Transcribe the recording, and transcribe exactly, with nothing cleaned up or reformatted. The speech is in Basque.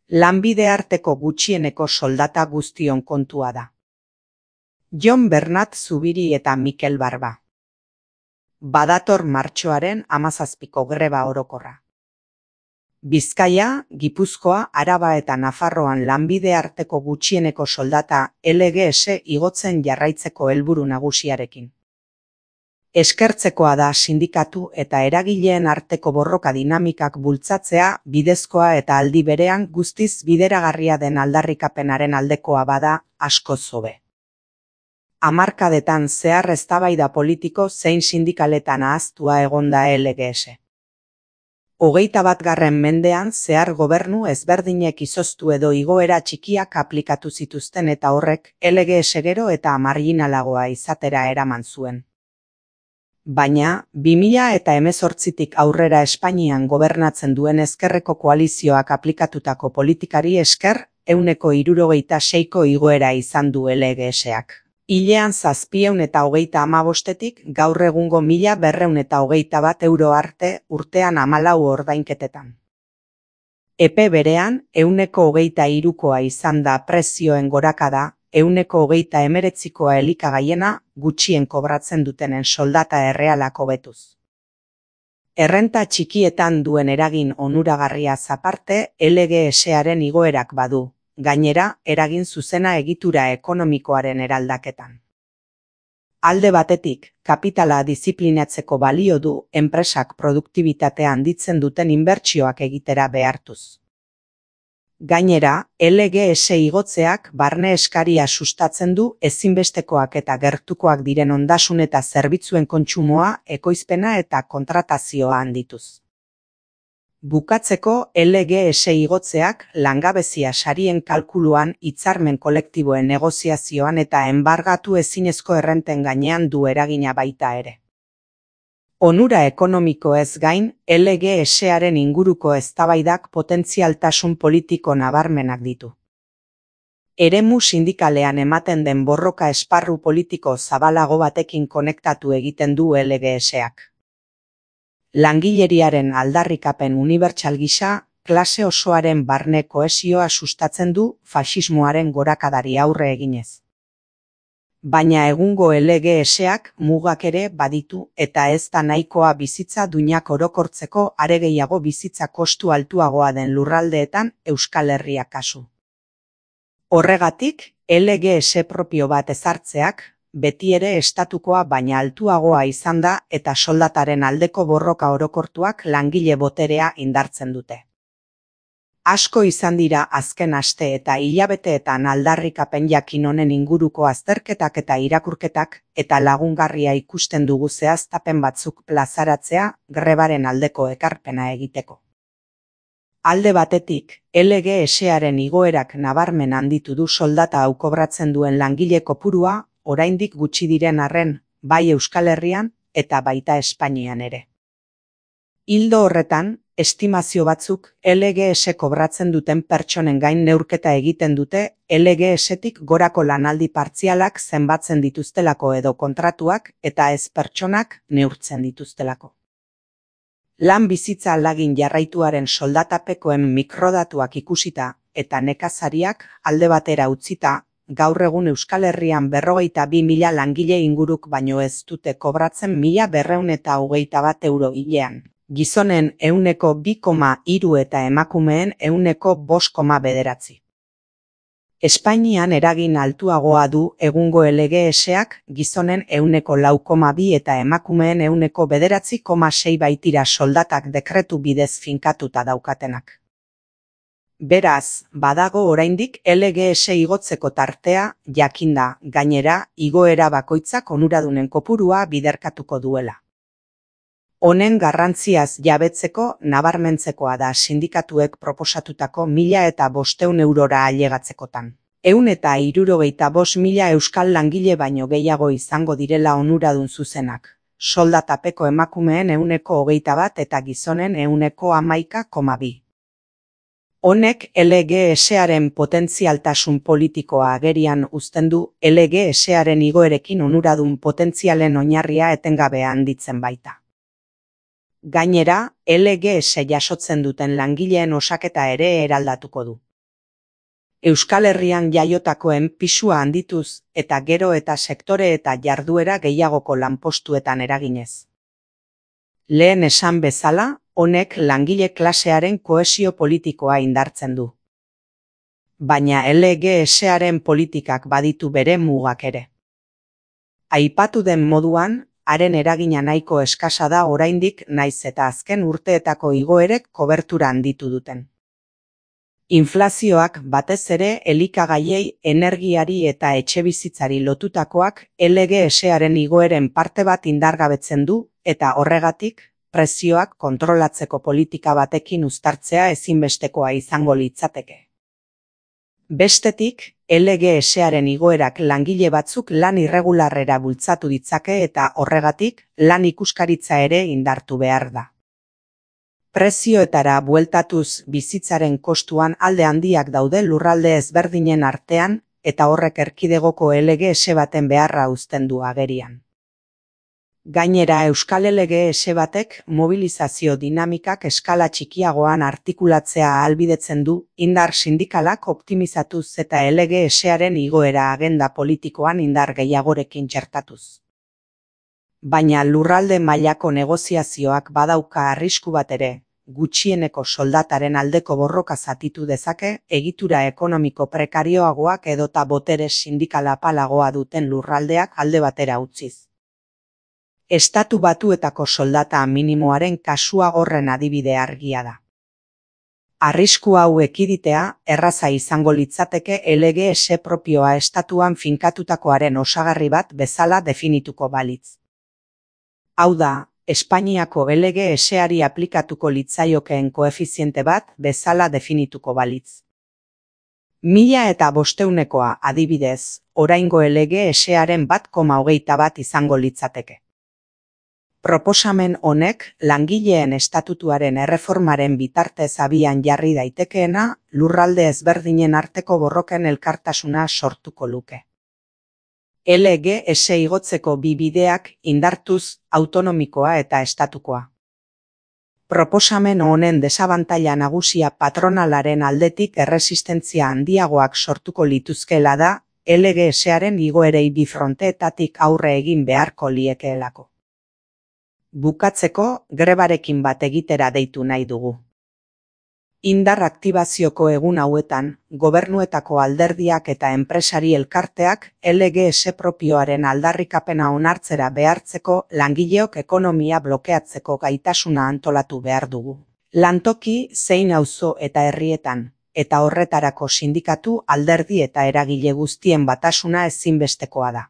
Lanbide arteko gutxieneko soldata guztion kontua da. Jon Bernat Zubiri eta Mikel Barba. Badator martxoaren hamazazpiko greba orokorra. Bizkaia, Gipuzkoa, Araba eta Nafarroan lanbide arteko gutxieneko soldata L G S igotzen jarraitzeko helburu nagusiarekin. Eskertzekoa da sindikatu eta eragileen arteko borroka dinamikak bultzatzea bidezkoa eta aldi berean guztiz bideragarria den aldarrikapenaren aldekoa bada askoz hobe. Hamarkadetan zehar eztabaida politiko zein sindikaletan ahaztua egon da L G S. Hogeita bat garren mendean zehar gobernu ezberdinek izoztu edo igoera txikiak aplikatu zituzten eta horrek L G S gero eta marginalagoa izatera eraman zuen. Baina, bi mila eta hemezortzitik aurrera Espainian gobernatzen duen ezkerreko koalizioak aplikatutako politikari esker, ehuneko hirurogeita seiko igoera izan du L G Sak. Hilean zazpiehun eta hogeita hamabostetik gaur egungo mila berrehun eta hogeita bat euro arte urtean hamalau ordainketetan. Epe berean, ehuneko hogeita hirukoa izan da prezioen gorakada, ehuneko hogeita hemeretzikoa elikagaiena gutxien kobratzen dutenen soldata errealak hobetuz. Errenta txikietan duen eragin onuragarriaz aparte L G Saren igoerak badu, gainera eragin zuzena egitura ekonomikoaren eraldaketan. Alde batetik, kapitala diziplinatzeko balio du enpresak produktibitatea handitzen duten inbertsioak egitera behartuz. Gainera, L G S igotzeak barne eskaria sustatzen du ezinbestekoak eta gertukoak diren ondasun eta zerbitzuen kontsumoa, ekoizpena eta kontratazioa handituz. Bukatzeko, L G S igotzeak langabezia sarien kalkuluan, hitzarmen kolektiboen negoziazioan eta enbargatu ezinezko errenten gainean du eragina baita ere. Onura ekonomikoez gain, L G Saren inguruko eztabaidak potentzialtasun politiko nabarmenak ditu. Eremu sindikalean ematen den borroka esparru politiko zabalago batekin konektatu egiten du L G Sak. Langileriaren aldarrikapen unibertsal gisa, klase osoaren barne kohesioa sustatzen du faxismoaren gorakadari aurre eginez. Baina egungo L G Sak mugak ere baditu eta ez da nahikoa bizitza duinak orokortzeko are gehiago bizitza kostu altuagoa den lurraldeetan Euskal Herria kasu. Horregatik, L G S propio bat ezartzeak, beti ere estatukoa baina altuagoa izan da eta soldataren aldeko borroka orokortuak langile boterea indartzen dute. Asko izan dira azken aste eta hilabeteetan aldarrikapen jakin honen inguruko azterketak eta irakurketak eta lagungarria ikusten dugu zehaztapen batzuk plazaratzea grebaren aldeko ekarpena egiteko. Alde batetik, L G Saren igoerak nabarmen handitu du soldata hau kobratzen duen langile kopurua, oraindik gutxi diren arren, bai Euskal Herrian eta baita Espainian ere. Ildo horretan, estimazio batzuk L G S kobratzen duten pertsonen gain neurketa egiten dute L G Stik gorako lanaldi partzialak zenbatzen dituztelako edo kontratuak eta ez pertsonak neurtzen dituztelako. Lan bizitza alagin jarraituaren soldatapekoen mikrodatuak ikusita eta nekazariak alde batera utzita, gaur egun Euskal Herrian berrogeita bi mila langile inguruk baino ez dute kobratzen mila berrehun eta hogeita bat euro hilean. Gizonen ehuneko bi koma hiru eta emakumeen ehuneko bost koma bederatzi. Espainian eragin altuagoa du egungo L G Sak gizonen ehuneko lau koma bi eta emakumeen ehuneko bederatzi koma sei baitira soldatak dekretu bidez finkatuta daukatenak. Beraz, badago oraindik L G S igotzeko tartea, jakinda, gainera, igoera bakoitzak onuradunen kopurua biderkatuko duela. Honen garrantziaz jabetzeko nabarmentzekoa da sindikatuek proposatutako mila eta bostehun eurora ailegatzekotan. Ehun eta hirurogeita bost mila euskal langile baino gehiago izango direla onuradun zuzenak. Soldatapeko emakumeen ehuneko hogeita bat eta gizonen ehuneko hamaika koma bi. Honek L G Saren potentzialtasun politikoa agerian uzten du L G Saren igoerekin onuradun potentzialen oinarria etengabe handitzen baita. Gainera, L G S jasotzen duten langileen osaketa ere eraldatuko du. Euskal Herrian jaiotakoen pisua handituz eta gero eta sektore eta jarduera gehiagoko lanpostuetan eraginez. Lehen esan bezala, honek langile klasearen kohesio politikoa indartzen du. Baina L G S-aren politikak baditu bere mugak ere. Aipatu den moduan, haren eragina nahiko eskasa da oraindik naiz eta azken urteetako igoerek kobertura handitu duten. Inflazioak batez ere elikagaiei, energiari eta etxebizitzari lotutakoak L G S-aren igoeren parte bat indargabetzen du eta horregatik, prezioak kontrolatzeko politika batekin uztartzea ezinbestekoa izango litzateke. Bestetik, L G S-aren igoerak langile batzuk lan irregularrera bultzatu ditzake eta horregatik, lan ikuskaritza ere indartu behar da. Prezioetara bueltatuz bizitzaren kostuan alde handiak daude lurralde ezberdinen artean eta horrek erkidegoko L G S baten beharra uzten du agerian. Gainera Euskal L G S batek mobilizazio dinamikak eskala txikiagoan artikulatzea ahalbidetzen du indar sindikalak optimizatuz eta L G S-aren igoera agenda politikoan indar gehiagorekin txertatuz. Baina lurralde mailako negoziazioak badauka arrisku bat ere, gutxieneko soldataren aldeko borroka zatitu dezake egitura ekonomiko prekarioagoak edota botere sindikala apalagoa duten lurraldeak alde batera utziz. Estatu Batuetako soldata minimoaren kasua horren adibide argia da. Arrisku hau ekiditea erraza izango litzateke L G S propioa estatuan finkatutakoaren osagarri bat bezala definituko balitz. Hau da, Espainiako L G S-ari aplikatuko litzaiokeen koefiziente bat bezala definituko balitz. Mila eta bosteunekoa adibidez, oraingo L G S-aren bat koma hogeita bat izango litzateke. Proposamen honek langileen estatutuaren erreformaren bitartez abian jarri daitekeena lurralde ezberdinen arteko borroken elkartasuna sortuko luke. L G S igotzeko bi bideak indartuz autonomikoa eta estatukoa. Proposamen honen desabantaila nagusia patronalaren aldetik erresistentzia handiagoak sortuko lituzkeela da L G S-aren igoerei bi fronteetatik aurre egin beharko liekeelako. Bukatzeko, grebarekin bat egitera deitu nahi dugu. Indar aktibazioko egun hauetan, gobernuetako alderdiak eta enpresari elkarteak L G S propioaren aldarrikapena onartzera behartzeko langileok ekonomia blokeatzeko gaitasuna antolatu behar dugu. Lantoki zein auzo eta herrietan, eta horretarako sindikatu, alderdi eta eragile guztien batasuna ezinbestekoa da.